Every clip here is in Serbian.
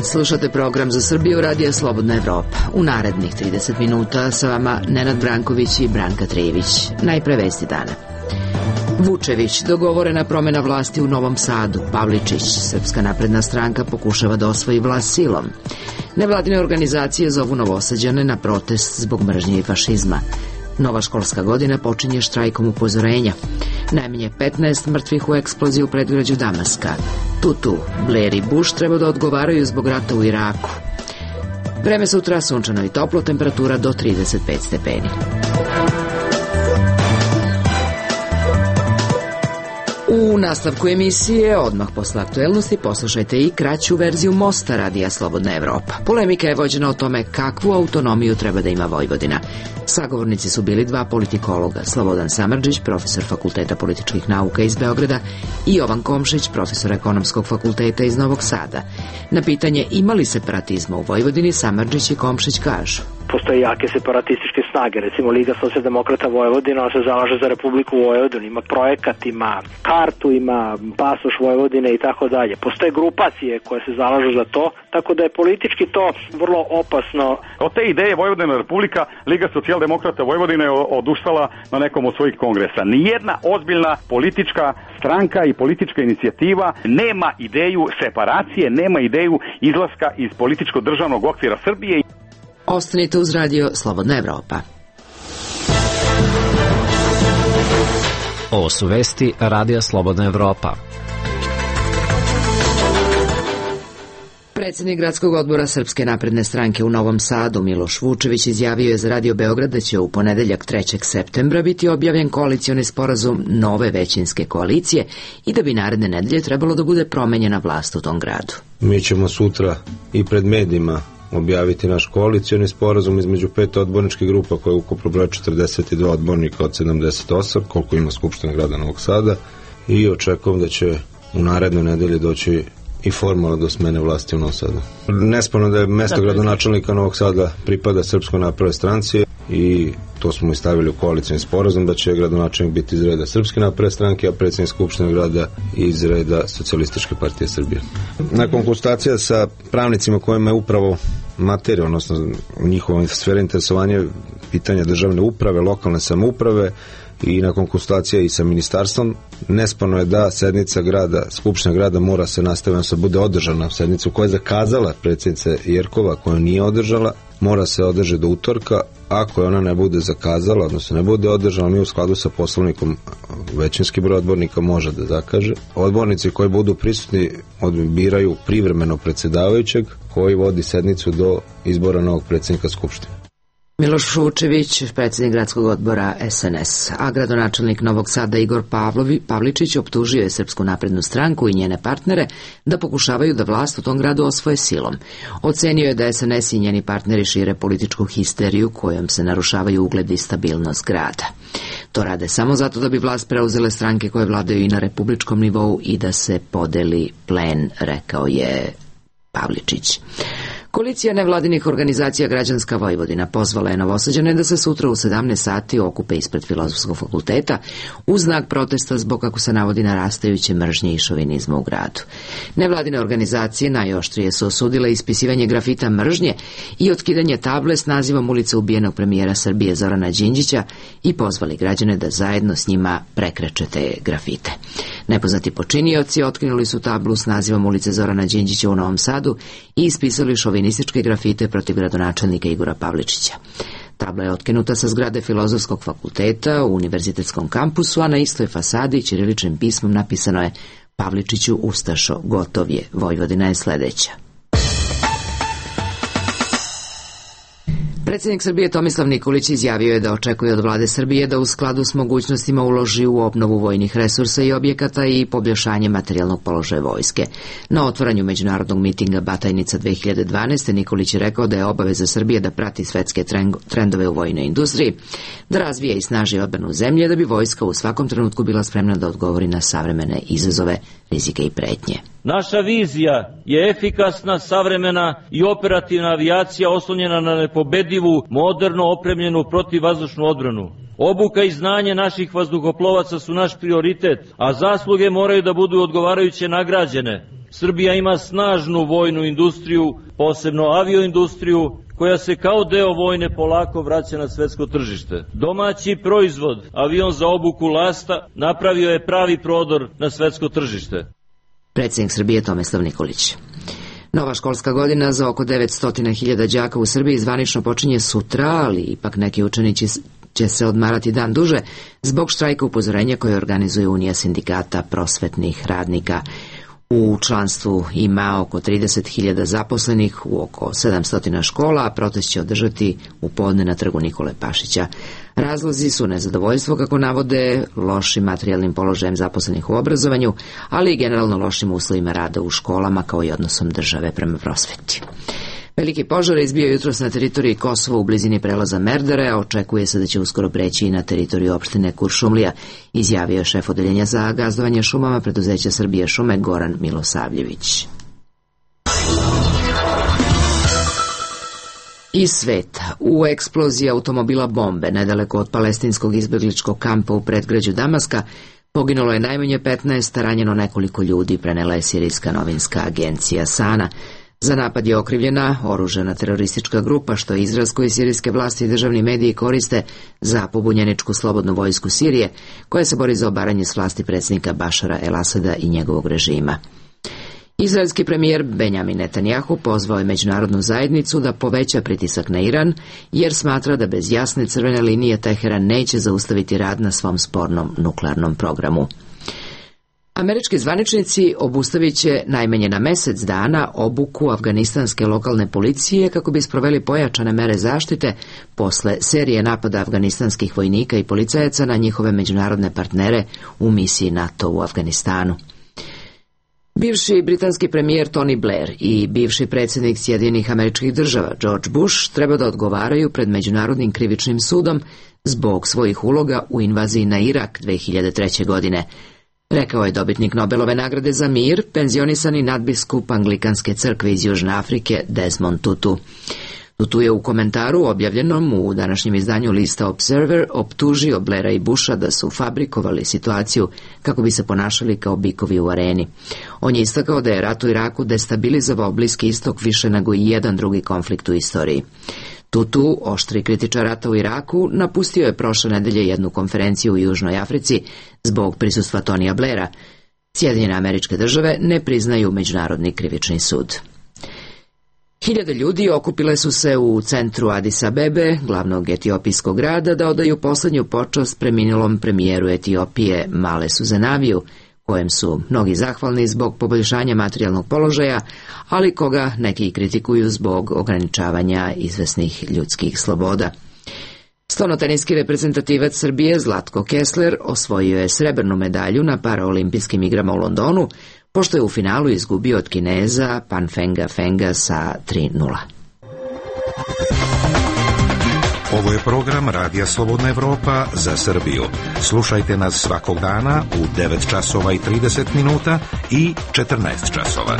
Slušate program Za Srbiju Radija Slobodna Evropa. U narednih 30 minuta sa vama Nenad Branković i Branka Trejević. Najpre vesti dana. Vučević, dogovorena promjena vlasti u Novom Sadu. Pavličić, Srpska napredna stranka pokušava da osvoji vlast silom. Nevladine organizacije zovu Novosađane na protest zbog mržnje i fašizma. Nova školska godina počinje štrajkom upozorenja. Najmanje 15 mrtvih u eksploziji u predgrađu Damaska. Tutu, Blair i Bush treba da odgovaraju zbog rata u Iraku. Vreme sutra sunčano i toplo, temperatura do 35 stepeni. U nastavku emisije, odmah posle aktuelnosti, poslušajte i kraću verziju Mosta Radija Slobodna Evropa. Polemika je vođena o tome kakvu autonomiju treba da ima Vojvodina. Sagovornici su bili dva politikologa, Slobodan Samardžić, profesor Fakulteta političkih nauka iz Beograda, i Jovan Komšić, profesor Ekonomskog fakulteta iz Novog Sada. Na pitanje ima li separatizma u Vojvodini, Samardžić i Komšić kažu: postoje jake separatističke snage, recimo Liga socijaldemokrata Vojvodina, on se zalaže za Republiku Vojvodinu, ima projekat, ima kartu, ima pasoš Vojvodine i tako dalje. Postoje grupacije koje se zalažu za to, tako da je politički to vrlo opasno. Od te ideje Vojvodina Republika, Liga socijaldemokrata Vojvodine je odustala na nekom od svojih kongresa. Nijedna ozbiljna politička stranka i politička inicijativa nema ideju separacije, nema ideju izlaska iz političko-državnog okvira Srbije. Ostanite uz Radio Slobodna Evropa. Ovo su vesti Radija Slobodna Evropa. Predsjednik gradskog odbora Srpske napredne stranke u Novom Sadu, Miloš Vučević, izjavio je za Radio Beograd da će u ponedeljak 3. septembra biti objavljen koalicioni sporazum nove većinske koalicije i da bi naredne nedelje trebalo da bude promenjena vlast u tom gradu. Mi ćemo sutra i pred medijima objaviti naš koalicioni sporazum između 5 odborničkih grupa koje ukupno broje 42 odbornika od 78, koliko ima Skupština grada Novog Sada, i očekujem da će u narednoj nedelji doći i formalno do smene vlasti u Novom Sadu. Nesporno da je mesto gradonačelnika Novog Sada pripada Srpskoj naprednoj stranci i to smo i stavili u koalicioni sporazum, da će gradonačelnik biti iz reda Srpske napredne stranke, a predsjednik Skupštine grada iz reda Socijalističke partije Srbije. Nakon konsultacija sa pravnicima kojima je upravo materija, odnosno njihova sfera interesovanja pitanja državne uprave, lokalne samouprave, i nakon konsultacija i sa ministarstvom, nesporno je da sednica grada, Skupština grada mora se nastaviti, da bude održana sednica koja je zakazala predsjednica Jerkova, koja nije održala, mora se održati do utorka. Ako je ona ne bude zakazala, odnosno ne bude održana, mi u skladu sa poslovnikom većinski broj odbornika može da zakaže. Odbornici koji budu prisutni biraju privremeno predsjedavajućeg koji vodi sednicu do izbora novog predsjednika Skupštine. Miloš Vučević, predsjednik gradskog odbora SNS, a gradonačelnik Novog Sada Igor Pavličić optužio je Srpsku naprednu stranku i njene partnere da pokušavaju da vlast u tom gradu osvoje silom. Ocenio je da SNS i njeni partneri šire političku histeriju kojom se narušavaju ugled i stabilnost grada. To rade samo zato da bi vlast preuzele stranke koje vladaju i na republičkom nivou i da se podeli plen, rekao je Pavličić. Koalicija nevladinih organizacija Građanska Vojvodina pozvala je Novosađane da se sutra u 17 sati okupe ispred Filozofskog fakulteta u znak protesta zbog, kako se navodi, narastajuće mržnje i šovinizma u gradu. Nevladine organizacije najoštrije su osudile ispisivanje grafita mržnje i otkidanje table s nazivom ulice ubijenog premijera Srbije Zorana Đinđića i pozvali građane da zajedno s njima prekreče te grafite. Nepoznati počinioci otkinuli su tablu s nazivom ulice Zorana Đinđića u Novom Sadu i ispisali šovinističke grafite protiv gradonačelnika Igora Pavličića. Tabla je otkinuta sa zgrade Filozofskog fakulteta u univerzitetskom kampusu, a na istoj fasadi ćiriličnim pismom napisano je: Pavličiću ustašo, gotov je, Vojvodina je sledeća. Predsjednik Srbije Tomislav Nikolić izjavio je da očekuje od vlade Srbije da u skladu s mogućnostima uloži u obnovu vojnih resursa i objekata i poboljšanje materijalnog položaja vojske. Na otvaranju međunarodnog mitinga Batajnica 2012. Nikolić je rekao da je obaveza Srbije da prati svetske trendove u vojnoj industriji, da razvije i snaži odbranu zemlje, da bi vojska u svakom trenutku bila spremna da odgovori na savremene izazove, rizike i pretnje. Naša vizija je efikasna, savremena i operativna avijacija oslonjena na nepobedivu, moderno opremljenu protivvazdušnu odbranu. Obuka i znanje naših vazduhoplovaca su naš prioritet, a zasluge moraju da budu odgovarajuće nagrađene. Srbija ima snažnu vojnu industriju, posebno avioindustriju, koja se kao deo vojne polako vraća na svetsko tržište. Domaći proizvod, avion za obuku lasta, napravio je pravi prodor na svetsko tržište. Predsjednik Srbije Tomislav Nikolić. Nova školska godina za oko 900.000 đaka u Srbiji zvanično počinje sutra, ali ipak neki učenici će se odmarati dan duže zbog štrajka upozorenja koje organizuje Unija sindikata prosvetnih radnika. U članstvu ima oko 30.000 zaposlenih u oko 700 škola, a protest će održati u podne na trgu Nikole Pašića. Razlozi su nezadovoljstvo, kako navode, lošim materijalnim položajem zaposlenih u obrazovanju, ali i generalno lošim uslovima rada u školama, kao i odnosom države prema prosveti. Veliki požar je izbio jutros na teritoriji Kosova u blizini prelaza Merdare, a očekuje se da će uskoro preći i na teritoriju opštine Kuršumlija, izjavio je šef odeljenja za gazdovanje šumama preduzeća Srbije šume Goran Milosavljević. Iz sveta. U eksploziji automobila bombe nedaleko od palestinskog izbegličkog kampa u predgrađu Damaska poginulo je najmanje 15, ranjeno nekoliko ljudi, prenela je sirijska novinska agencija Sana. Za napad je okrivljena oružana teroristička grupa, što je izraz koji sirijske vlasti i državni mediji koriste za pobunjeničku slobodnu vojsku Sirije, koja se bori za obaranje s vlasti predsjednika Bašara el-Asada i njegovog režima. Izraelski premijer Benjamin Netanjahu pozvao je međunarodnu zajednicu da poveća pritisak na Iran, jer smatra da bez jasne crvene linije Teheran neće zaustaviti rad na svom spornom nuklearnom programu. Američki zvaničnici obustavit će najmanje na mesec dana obuku afganistanske lokalne policije kako bi sproveli pojačane mere zaštite posle serije napada afganistanskih vojnika i policajaca na njihove međunarodne partnere u misiji NATO u Afganistanu. Bivši britanski premijer Tony Blair i bivši predsjednik Sjedinjenih Američkih Država George Bush treba da odgovaraju pred Međunarodnim krivičnim sudom zbog svojih uloga u invaziji na Irak 2003. godine. Rekao je dobitnik Nobelove nagrade za mir, penzionisani nadbiskup Anglikanske crkve iz Južne Afrike Desmond Tutu. Tutu je u komentaru objavljenom u današnjem izdanju lista Observer optužio Blaira i Busha da su fabrikovali situaciju kako bi se ponašali kao bikovi u areni. On je istakao da je rat u Iraku destabilizovao Bliski istok više nego i jedan drugi konflikt u istoriji. Tutu, oštri kritičar rata u Iraku, napustio je prošle nedelje jednu konferenciju u Južnoj Africi zbog prisustva Tonija Blaira. Sjedinjene Američke Države ne priznaju Međunarodni krivični sud. Hiljade ljudi okupile su se u centru Adis Abebe, glavnog etiopijskog grada, da odaju poslednju počast preminulom premijeru Etiopije Malesu Zenaviju, kojem su mnogi zahvalni zbog poboljšanja materijalnog položaja, ali koga neki kritikuju zbog ograničavanja izvesnih ljudskih sloboda. Stolnoteniski reprezentativac Srbije Zlatko Kessler osvojio je srebrnu medalju na paraolimpijskim igrama u Londonu, pošto je u finalu izgubio od Kineza Panfenga Fenga sa 3:0. Ovo je program Radija Slobodna Evropa za Srbiju. Slušajte nas svakog dana u 9 časova i 30 minuta i 14 časova.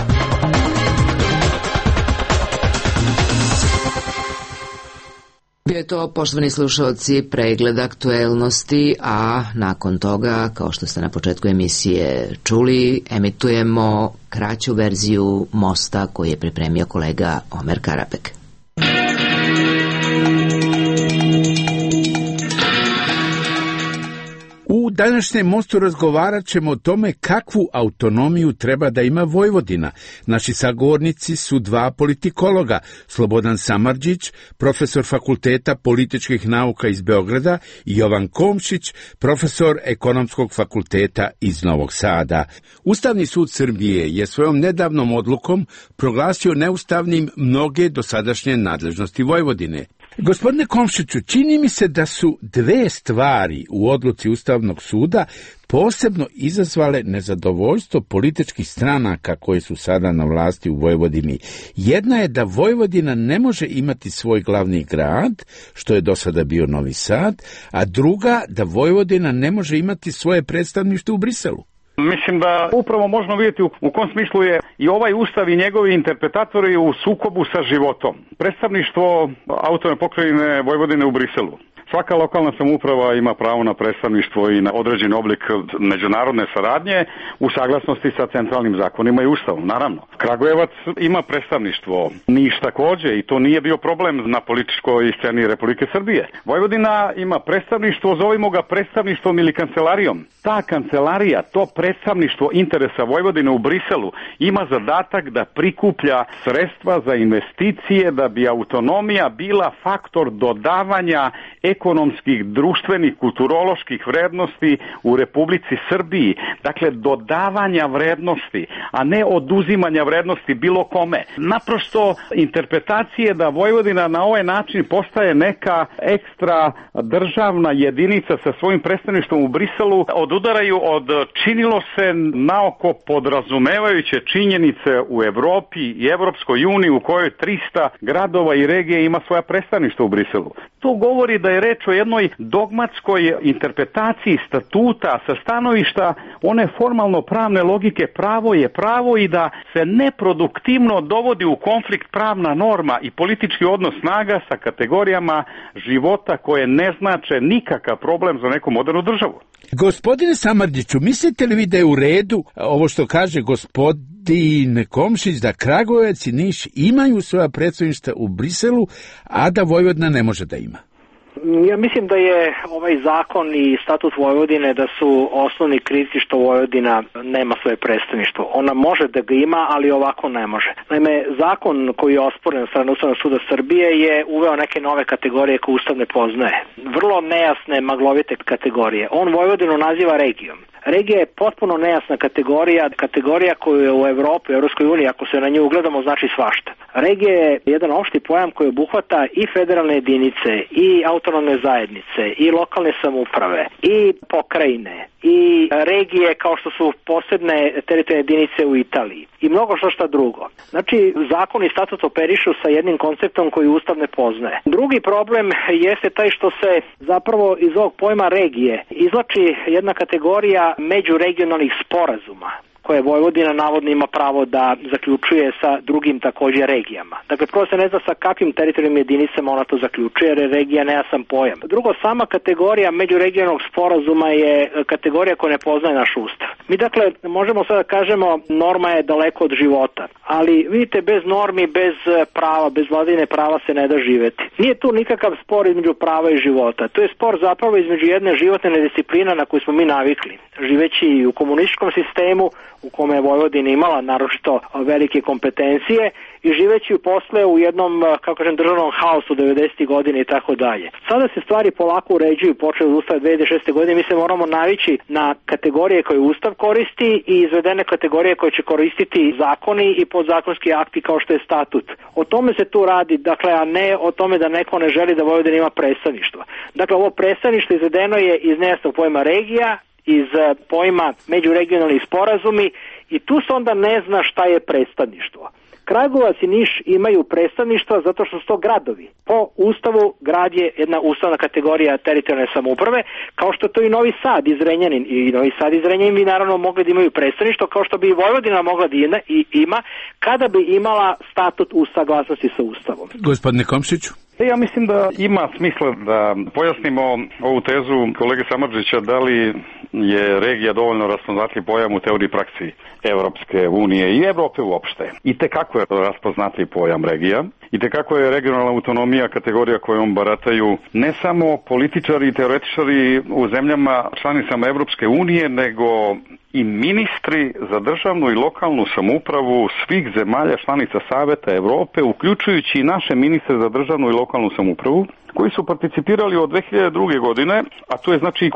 Bio je to, poštovani slušalci, pregled aktuelnosti, a nakon toga, kao što ste na početku emisije čuli, emitujemo kraću verziju Mosta koji je pripremio kolega Omer Karapek. U današnjem Mostu razgovarat ćemo o tome kakvu autonomiju treba da ima Vojvodina. Naši sagovornici su dva politikologa, Slobodan Samardžić, profesor Fakulteta političkih nauka iz Beograda, i Jovan Komšić, profesor Ekonomskog fakulteta iz Novog Sada. Ustavni sud Srbije je svojom nedavnom odlukom proglasio neustavnim mnoge dosadašnje nadležnosti Vojvodine. Gospodine Komšiću, čini mi se da su dve stvari u odluci Ustavnog suda posebno izazvale nezadovoljstvo političkih stranaka koje su sada na vlasti u Vojvodini. Jedna je da Vojvodina ne može imati svoj glavni grad, što je do sada bio Novi Sad, a druga da Vojvodina ne može imati svoje predstavništvo u Briselu. Mislim da upravo možemo vidjeti u kom smislu je i ovaj ustav i njegovi interpretatori u sukobu sa životom. Predstavništvo autonomne pokrajine Vojvodine u Briselu. Svaka lokalna samouprava ima pravo na predstavništvo i na određen oblik međunarodne saradnje u saglasnosti sa centralnim zakonima i ustavom, naravno. Kragujevac ima predstavništvo, Niš takođe, i to nije bio problem na političkoj sceni Republike Srbije. Vojvodina ima predstavništvo, zovimo ga predstavništvom ili kancelarijom. Ta kancelarija, to predstavništvo interesa Vojvodine u Briselu ima zadatak da prikuplja sredstva za investicije da bi autonomija bila faktor dodavanja ekonomskih, društvenih, kulturoloških vrednosti u Republici Srbiji. Dakle, dodavanja vrednosti, a ne oduzimanja vrednosti bilo kome. Naprosto interpretacije da Vojvodina na ovaj način postaje neka ekstra državna jedinica sa svojim predstavništvom u Briselu odudaraju od, činilo se naoko podrazumevajuće činjenice u Evropi i Evropskoj uniji u kojoj 300 gradova i regije ima svoja predstavništva u Briselu. To govori da je reč o jednoj dogmatskoj interpretaciji statuta sa stanovišta one formalno pravne logike pravo je pravo i da se neproduktivno dovodi u konflikt pravna norma i politički odnos snaga sa kategorijama života koje ne znače nikakav problem za neku modernu državu. Gospodine Samardžiću, mislite li vi da je u redu ovo što kaže gospodin Komšić, da Kragujevac i Niš imaju svoja predstavništva u Briselu, a da Vojvodina ne može da ima? Ja mislim da je ovaj zakon i statut Vojvodine da su osnovni krivci što Vojvodina nema svoje predstavništvo. Ona može da ga ima, ali ovako ne može. Naime, zakon koji je osporen od strane Ustavnog suda Srbije je uveo neke nove kategorije koje Ustav ne poznaje. Vrlo nejasne, maglovite kategorije. On Vojvodinu naziva regijom. Regija je potpuno nejasna kategorija koju je u Evropi, u Evropskoj uniji, ako se na nju ugledamo, znači svašta. Regija je jedan opšti pojam koji obuhvata i federalne jedinice, i autonomne zajednice, i lokalne samouprave, i pokrajine, i regije kao što su posebne teritorijalne jedinice u Italiji i mnogo što drugo. Znači, zakon i statut operišu sa jednim konceptom koji Ustav ne poznaje. Drugi problem jeste taj što se zapravo iz ovog pojma regije izvlači jedna kategorija međuregionalnih sporazuma koje Vojvodina navodno ima pravo da zaključuje sa drugim također regijama. Dakle, prvo se ne zna sa kakvim teritorijalnim jedinicama ona to zaključuje, jer je regija nejasan pojam. Drugo, sama kategorija međuregionalnog sporazuma je kategorija koja ne poznaje naš Ustav. Mi dakle možemo sada kažemo norma je daleko od života, ali vidite, bez normi, bez prava, bez vladavine prava se ne da živeti. Nije tu nikakav spor između prava i života. To je spor zapravo između jedne životne nediscipline na koju smo mi navikli. Živeći u komunističkom sistemu u kome je Vojvodina imala naročito velike kompetencije i živeći posle u jednom, kako kažem, državnom haosu 90. godine i tako dalje. Sada se stvari polako uređuju, počeo od Ustava 2006. godine, mi se moramo navići na kategorije koje Ustav koristi i izvedene kategorije koje će koristiti zakoni i podzakonski akti kao što je statut. O tome se tu radi, dakle, a ne o tome da neko ne želi da Vojvodina ima predstavništvo. Dakle, ovo predstavništvo izvedeno je iz nejasnog pojma regija, iz pojma međuregionalnih sporazumi i tu se onda ne zna šta je predstavništvo. Kragujevac i Niš imaju predstavništva zato što su to gradovi. Po Ustavu grad je jedna ustavna kategorija teritorijalne samouprave, kao što to i Novi Sad i Zrenjanin. I Novi Sad i Zrenjanin bi naravno mogli da imaju predstavništvo, kao što bi i Vojvodina mogla da ima kada bi imala statut u saglasnosti sa Ustavom. Gospodine Komšiću? Ja mislim da ima smisla da pojasnimo ovu tezu kolege Samardžića, da li je regija dovoljno raspoznatljiv pojam u teoriji praksi Evropske unije i Evrope uopšte. I tekako je raspoznatljiv pojam regija, i tekako je regionalna autonomija kategorija kojom barataju ne samo političari i teoretičari u zemljama članicama Evropske unije, nego i ministri za državnu i lokalnu samoupravu svih zemalja članica Saveta Evrope, uključujući i naše ministre za državnu i lokalnu samoupravu, koji su participirali od 2002. godine, a tu je znači i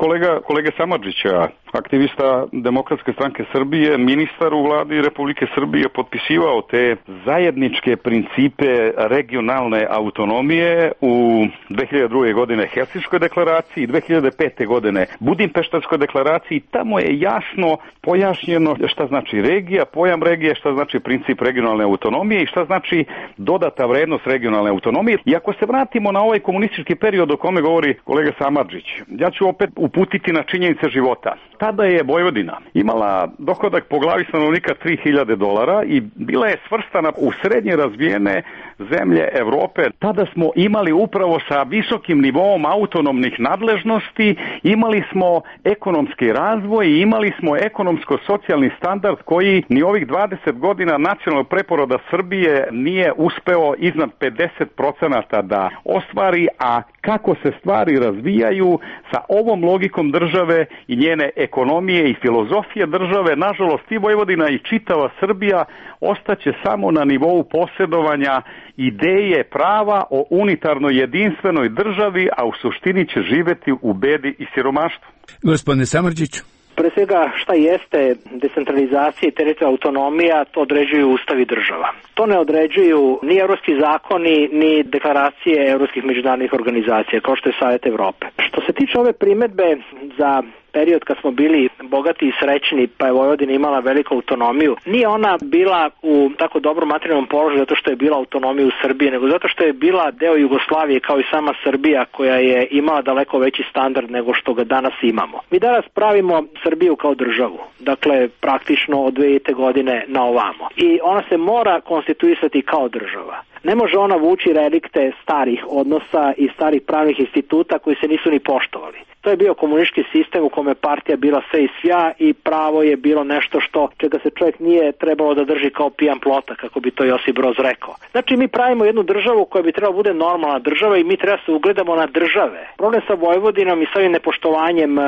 kolege Samardžića, aktivista Demokratske stranke Srbije, ministar u vladi Republike Srbije, potpisivao te zajedničke principe regionalne autonomije u 2002. godine Helsinškoj deklaraciji, 2005. godine Budimpeštanskoj deklaraciji. Tamo je jasno pojašnjeno šta znači regija, pojam regije, šta znači princip regionalne autonomije i šta znači dodata vrednost regionalne autonomije. I ako se vratimo na ovaj komunistički period o kome govori kolega Samardžić, ja ću opet uputiti na činjenice života. Tada je Vojvodina imala dohodak po glavi stanovnika $3.000 i bila je svrstana u srednje razvijene zemlje Evrope. Tada smo imali upravo sa visokim nivoom autonomnih nadležnosti, imali smo ekonomski razvoj i imali smo ekonomsko-socijalni standard koji ni ovih 20 godina nacionalnog preporoda Srbije nije uspeo iznad 50% da ostvari, a kako se stvari razvijaju sa ovom logikom države i njene ekonomije i filozofije države, nažalost i Vojvodina i čitava Srbija ostaće samo na nivou posjedovanja ideje prava o unitarnoj jedinstvenoj državi, a u suštini će živeti u bedi i siromaštvu. Gospodine Samardžić. Pre svega šta jeste decentralizacija i teritorijalna autonomija, to određuju ustavi država. To ne određuju ni evropski zakoni, ni deklaracije evropskih međunarodnih organizacija, kao što je Savjet Evrope. Što se tiče ove primedbe za period kad smo bili bogati i srećni, pa je Vojvodina imala veliku autonomiju, nije ona bila u tako dobrom materijalnom položaju zato što je bila autonomija u Srbiji, nego zato što je bila deo Jugoslavije kao i sama Srbija, koja je imala daleko veći standard nego što ga danas imamo. Mi danas pravimo Srbiju kao državu, dakle praktično od 2000. godine na ovamo. I ona se mora konstituisati kao država. Ne može ona vući relikte starih odnosa i starih pravnih instituta koji se nisu ni poštovali. To je bio komunistički sistem u kome partija bila sve i svja i pravo je bilo nešto čega se čovjek nije trebalo da drži kao pijan plota, kako bi to Josip Broz rekao. Znači mi pravimo jednu državu koja bi trebala bude normalna država i mi treba se ugledamo na države. Problem sa Vojvodinom i sa ovim nepoštovanjem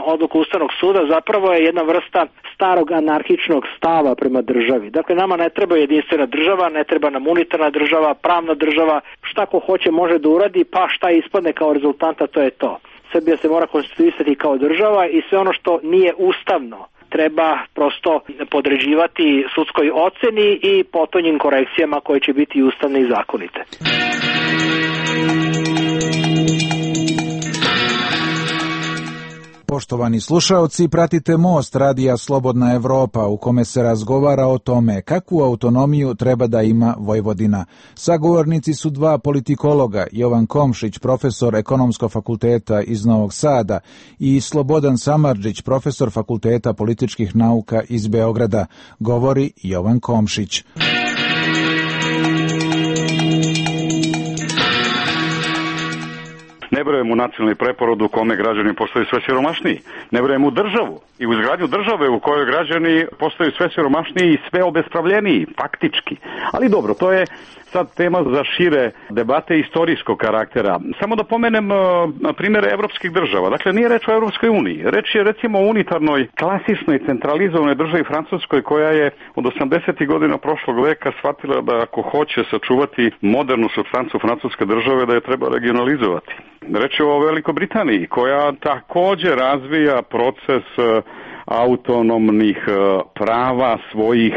odluka Ustavnog suda zapravo je jedna vrsta starog anarhičnog stava prema državi. Dakle, nama ne treba jedinstvena država, ne treba nam unitarna država, pravna država, šta ko hoće može da uradi, pa šta ispadne kao rezultanta, to je to. Srbija se mora konstituisati kao država i sve ono što nije ustavno treba prosto podređivati sudskoj oceni i potonjim korekcijama koje će biti ustavne i zakonite. Poštovani slušaoci, pratite Most Radija Slobodna Evropa u kome se razgovara o tome kakvu autonomiju treba da ima Vojvodina. Sagovornici su dva politikologa, Jovan Komšić, profesor Ekonomskog fakulteta iz Novog Sada i Slobodan Samardžić, profesor Fakulteta političkih nauka iz Beograda. Govori Jovan Komšić. Ne verujem u nacionalni preporod u kome građani postaju sve siromašniji. Ne verujem u državu i u izgradnju države u kojoj građani postaju sve siromašniji i sve obespravljeniji, faktički. Ali dobro, to je sad tema za šire debate istorijskog karaktera. Samo da pomenem primjere evropskih država. Dakle, nije reč o Evropskoj uniji. Reč je recimo o unitarnoj, klasičnoj, centralizovanoj državi Francuskoj koja je od 80. godina prošlog veka shvatila da ako hoće sačuvati modernu supstancu francuske države, da je treba regionalizovati. Reč je o Velikoj Britaniji koja također razvija proces autonomnih prava svojih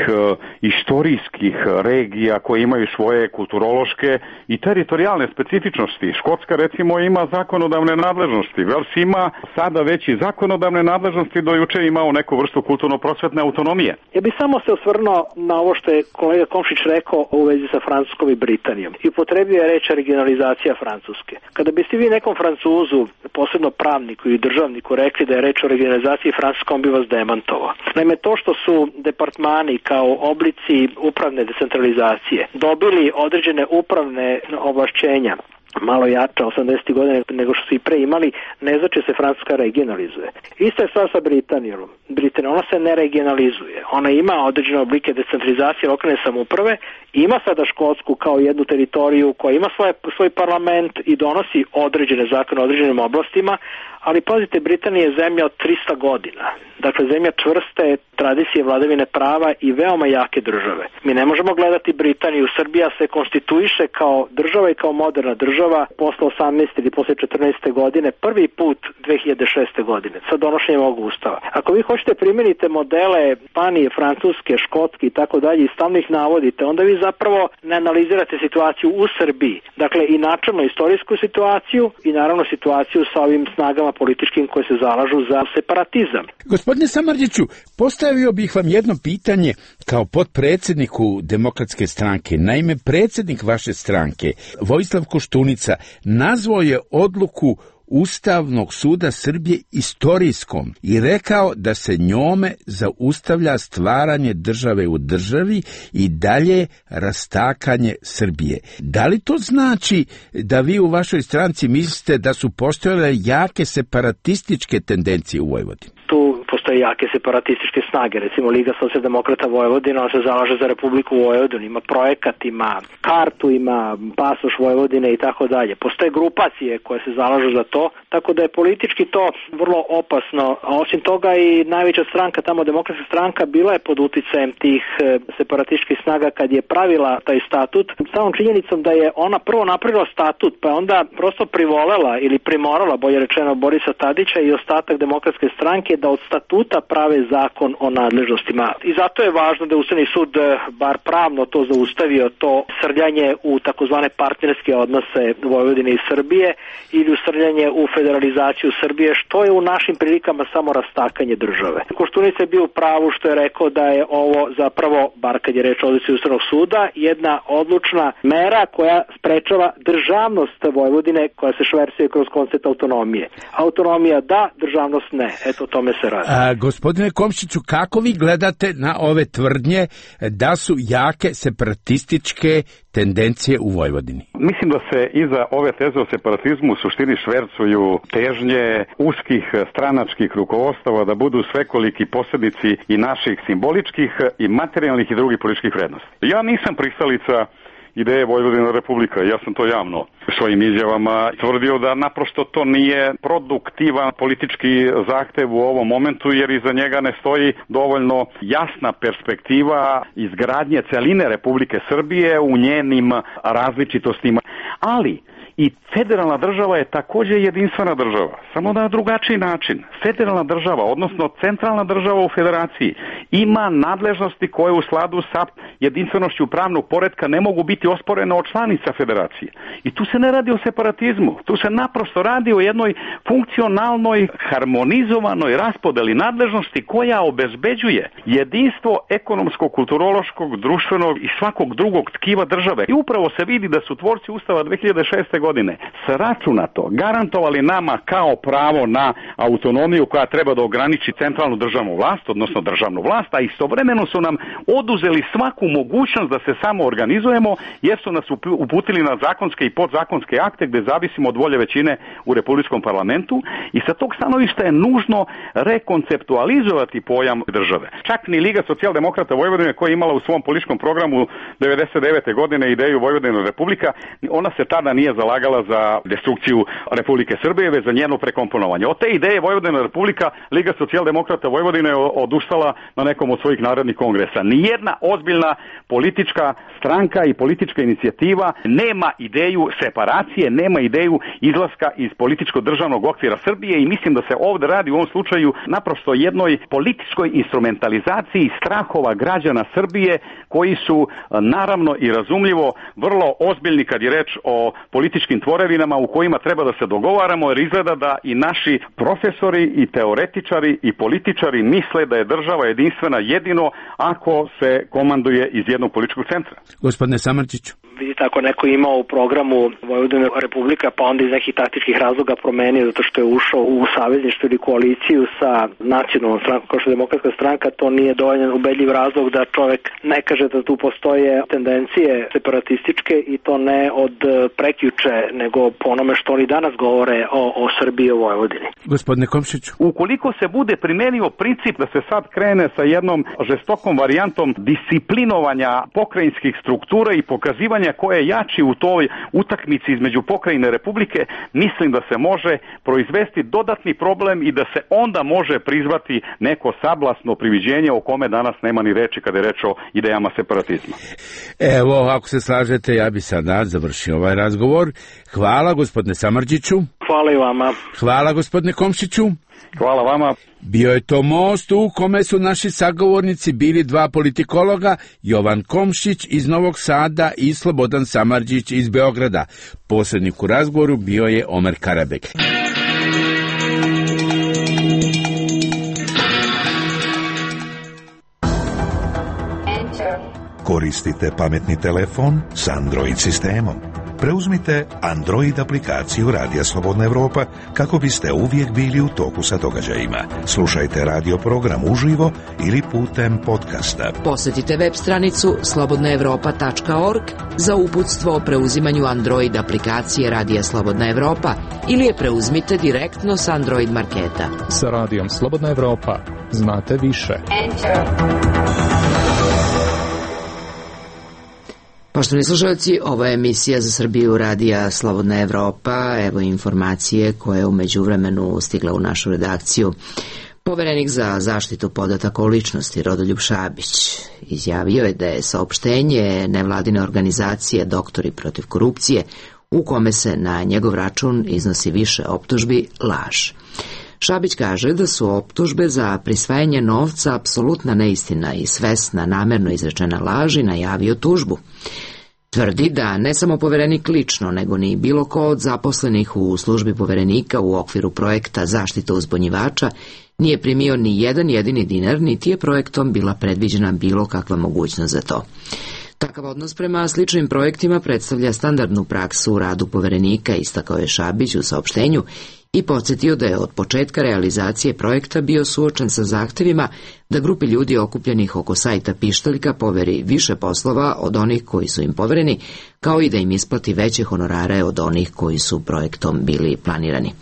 istorijskih regija koje imaju svoje kulturološke i teritorijalne specifičnosti. Škotska recimo ima zakonodavne nadležnosti, Vels ima sada već i zakonodavne nadležnosti, do juče imao neku vrstu kulturno-prosvetne autonomije. Ja bih samo se osvrnuo na ovo što je kolega Komšić rekao u vezi sa Francuskom i Britanijom i upotrebio je reč regionalizacija Francuske. Kada biste vi nekom Francuzu, posebno pravniku i državniku, rekli da je reč o regionalizaciji Francuske, on bi vas demantovao. Naime, to što su departmani kao oblici upravne decentralizacije dobili određene upravne ovlašćenja malo jača 80. godine nego što su i pre imali, ne znači se Francuska regionalizuje. Ista je stvar sa Britanijom. Ona se ne regionalizuje. Ona ima određene oblike decentralizacije lokalne samouprave, ima sada Škotsku kao jednu teritoriju koja ima svoj parlament i donosi određene zakone u određenim oblastima, ali pazite, Britanija je zemlja od 300 godina. Dakle, zemlja čvrste tradicije vladavine prava i veoma jake države. Mi ne možemo gledati Britaniju. Srbija se konstituiše kao država i kao moderna država posle 18. ili posle 14. godine, prvi put 2006. godine, sa donošenjem ovog ustava. Ako vi hoćete primenite modele Španije, Francuske, Škotske i tako dalje i stalno ih navodite, onda vi zapravo ne analizirate situaciju u Srbiji. Dakle, i načelno istorijsku situaciju i naravno situaciju sa ovim snagama političkim koje se zalažu za separatizam. Gospodine Samardžiću, postavio bih vam jedno pitanje kao potpredsjedniku Demokratske stranke. Naime, predsjednik vaše stranke, Vojislav Koštunica, nazvao je odluku Ustavnog suda Srbije istorijskom i rekao da se njome zaustavlja stvaranje države u državi i dalje rastakanje Srbije. Da li to znači da vi u vašoj stranci mislite da su postojale jake separatističke tendencije u Vojvodini? Tu postoje jake separatističke snage, recimo Liga socijaldemokrata Vojvodina, ona se zalaže za Republiku Vojvodinu, ima projekat, ima kartu, ima pasoš Vojvodine i tako dalje. Postoje grupacije koje se zalažu za to, tako da je politički to vrlo opasno. A osim toga i najveća stranka, tamo Demokratska stranka, bila je pod uticajem tih separatističkih snaga kad je pravila taj statut. Samom činjenicom da je ona prvo napravila statut, pa onda prosto privolela ili primorala, bolje rečeno, Borisa Tadića i ostatak Demokratske stranke da od statuta prave zakon o nadležnostima. I zato je važno da je Ustavni sud bar pravno to zaustavio, to srljanje u takozvane partnerske odnose Vojvodine i Srbije ili usrljanje u federalizaciju Srbije, što je u našim prilikama samo rastakanje države. Koštunica je bio u pravu što je rekao da je ovo zapravo, bar kad je reč o odluci Ustavnog suda, jedna odlučna mera koja sprečava državnost Vojvodine koja se šversuje kroz koncept autonomije. Autonomija da, državnost ne. Eto, o tome se radi. Gospodine Komšiću, kako vi gledate na ove tvrdnje da su jake separatističke tendencije u Vojvodini? Mislim da se iza ove teze o separatizmu u suštini švercuju težnje uskih stranačkih rukovodstava da budu svekoliki posrednici i naših simboličkih i materijalnih i drugih političkih vrednosti. Ja nisam pristalica ideje Vojvodina republika. Ja sam to javno svojim izjavama tvrdio da naprosto to nije produktivan politički zahtev u ovom momentu, jer iza njega ne stoji dovoljno jasna perspektiva izgradnje celine Republike Srbije u njenim različitostima. Ali i federalna država je također jedinstvena država, samo na drugačiji način. Federalna država, odnosno centralna država u federaciji, ima nadležnosti koje u skladu sa jedinstvenošću pravnog poretka ne mogu biti osporene od članica federacije. I tu se ne radi o separatizmu, tu se naprosto radi o jednoj funkcionalnoj, harmonizovanoj raspodeli nadležnosti koja obezbeđuje jedinstvo ekonomskog, kulturološkog, društvenog i svakog drugog tkiva države. I upravo se vidi da su tvorci Ustava 2006. godine sračunato garantovali nama kao pravo na autonomiju koja treba da ograniči centralnu državnu vlast, odnosno državnu vlast, a istovremeno su nam oduzeli svaku mogućnost da se samo organizujemo, jer su nas uputili na zakonske i podzakonske akte gde zavisimo od volje većine u Republičkom parlamentu i sa tog stanovišta je nužno rekonceptualizovati pojam države. Čak ni Liga socijaldemokrata Vojvodine, koja je imala u svom političkom programu 99. godine ideju Vojvodina republika, ona se tada nije zalagala za destrukciju Republike Srbije, već za njeno prekomponovanje. Od te ideje Vojvodina republika Liga socijaldemokrata Vojvodine je odustala na nekom od svojih narodnih kongresa. Nijedna ozbiljna politička stranka i politička inicijativa nema ideju separacije, nema ideju izlaska iz političko-državnog okvira Srbije i mislim da se ovdje radi u ovom slučaju naprosto jednoj političkoj instrumentalizaciji strahova građana Srbije koji su naravno i razumljivo vrlo ozbiljni kad je reč o političkim tvorevinama u kojima treba da se dogovaramo, jer izgleda da i naši profesori i teoretičari i političari misle da je država jedinstvena jedino ako se komanduje iz jednog političkog centra. Gospodine Samardžiću. Vidite, ako neko imao u programu Vojvodina republika, pa onda iz nekih taktičkih razloga promenio zato što je ušao u savezništvo ili koaliciju sa nacionalnom strankom kao što je Demokratska stranka, to nije dovoljan ubedljiv razlog da čovek ne kaže da tu postoje tendencije separatističke i to ne od prekjuče, nego po onome što oni danas govore o Srbiji i o Vojvodini. Gospodine Komšiću. Ukoliko se bude primenio princip da se sad krene sa jednom žestokom varijantom disciplinovanja pokrajinskih struktura i pokazivanja ko je jači u toj utakmici između pokrajine Republike, mislim da se može proizvesti dodatni problem i da se onda može prizvati neko sablasno priviđenje o kome danas nema ni reči kada je reč o idejama separatizma. Evo, ako se slažete, ja bi sada završio ovaj razgovor. Hvala gospodine Samardžiću. Hvala i vama. Hvala gospodine Komšiću. Hvala vama. Bio je to most u kome su naši sagovornici bili dva politikologa, Jovan Komšić iz Novog Sada i Slobodan Samardžić iz Beograda. Posrednik u razgovoru bio je Omer Karabek. Koristite pametni telefon s Android sistemom. preuzmite Android aplikaciju Radija Slobodna Evropa kako biste uvijek bili u toku sa događajima. Slušajte radio program uživo ili putem podcasta. Posjetite web stranicu slobodnaevropa.org za uputstvo o preuzimanju Android aplikacije Radija Slobodna Evropa ili je preuzmite direktno s Android marketa. Sa Radijom Slobodna Evropa znate više. Poštovani slušalci, ovo je emisija za Srbiju Radija Slobodna Evropa. Evo informacije koje je u međuvremenu stigla u našu redakciju. Poverenik za zaštitu podataka o ličnosti Rodoljub Šabić izjavio je da je saopštenje nevladine organizacije Doktori protiv korupcije, u kome se na njegov račun iznosi više optužbi, laž. Šabić kaže da su optužbe za prisvajanje novca apsolutna neistina i svesna namerno izrečena laž i najavio tužbu. Tvrdi da ne samo poverenik lično, nego ni bilo ko od zaposlenih u službi poverenika u okviru projekta zaštita uzbunjivača nije primio ni jedan jedini dinar, niti je projektom bila predviđena bilo kakva mogućnost za to. Takav odnos prema sličnim projektima predstavlja standardnu praksu u radu poverenika, istakao je Šabić u saopštenju i podsjetio da je od početka realizacije projekta bio suočen sa zahtevima da grupi ljudi okupljenih oko sajta Pištaljka poveri više poslova od onih koji su im povereni, kao i da im isplati veće honorare od onih koji su projektom bili planirani.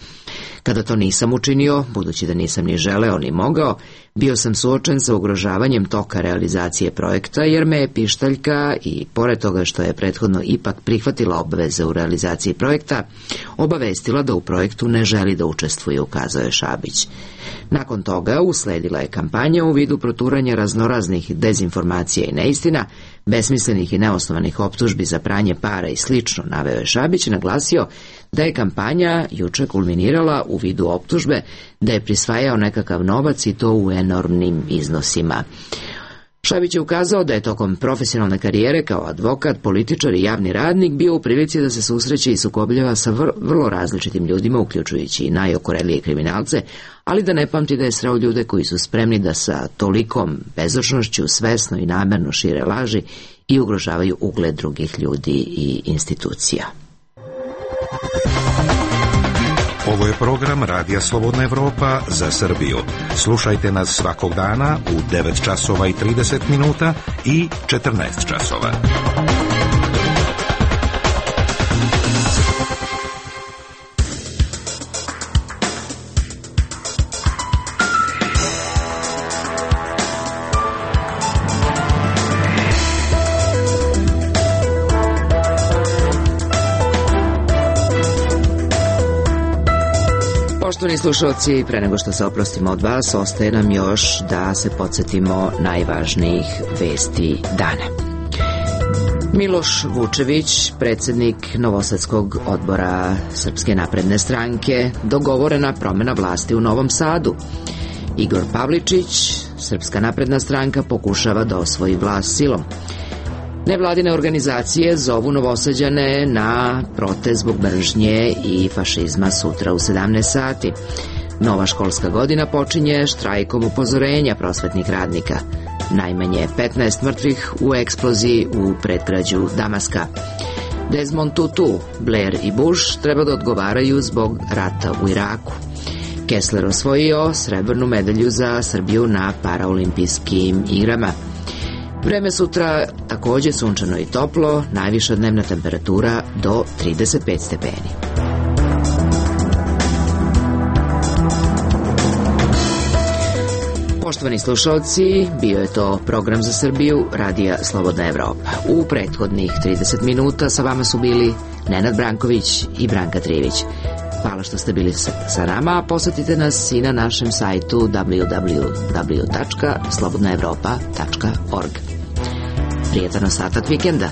Kada to nisam učinio, budući da nisam ni želeo ni mogao, bio sam suočen sa ugrožavanjem toka realizacije projekta, jer me je Pištaljka, i pored toga što je prethodno ipak prihvatila obveze u realizaciji projekta, obavestila da u projektu ne želi da učestvuje, ukazao je Šabić. Nakon toga usledila je kampanja u vidu proturanja raznoraznih dezinformacija i neistina, besmislenih i neosnovanih optužbi za pranje para i slično, naveo je Šabić i naglasio da je kampanja juče kulminirala u vidu optužbe da je prisvajao nekakav novac i to u enormnim iznosima. Šabić je ukazao da je tokom profesionalne karijere kao advokat, političar i javni radnik bio u prilici da se susreće i sukobljava sa vrlo različitim ljudima, uključujući i najokorelije kriminalce, ali da ne pamti da je sreo ljude koji su spremni da sa tolikom bezočnošću svesno i namerno šire laži i ugrožavaju ugled drugih ljudi i institucija. Ovo je program Radija Slobodna Evropa za Srbiju. Slušajte nas svakog dana u 9 časova i 30 minuta i 14 časova. Poštovani slušalci, pre nego što se oprostimo od vas, ostaje nam još da se podsjetimo najvažnijih vesti dana. Miloš Vučević, predsjednik Novosadskog odbora Srpske napredne stranke, dogovorena promjena vlasti u Novom Sadu. Igor Pavličić, Srpska napredna stranka, pokušava da osvoji vlast silom. Nevladine organizacije zovu Novosađane na protest zbog mržnje i fašizma sutra u 17 sati. Nova školska godina počinje štrajkom upozorenja prosvetnih radnika. Najmanje 15 mrtvih u eksploziji u predgrađu Damaska. Desmond Tutu, Blair i Bush treba da odgovaraju zbog rata u Iraku. Kessler osvojio srebrnu medalju za Srbiju na paraolimpijskim igrama. Vreme sutra također sunčano i toplo, najviša dnevna temperatura do 35 stepeni. Poštovani slušalci, bio je to program za Srbiju Radija Slobodna Evropa. U prethodnih 30 minuta sa vama su bili Nenad Branković i Branka Trivić. Hvala što ste bili sa nama, a posjetite nas i na našem sajtu www.slobodnaevropa.org. Prijetan ostatak vikenda.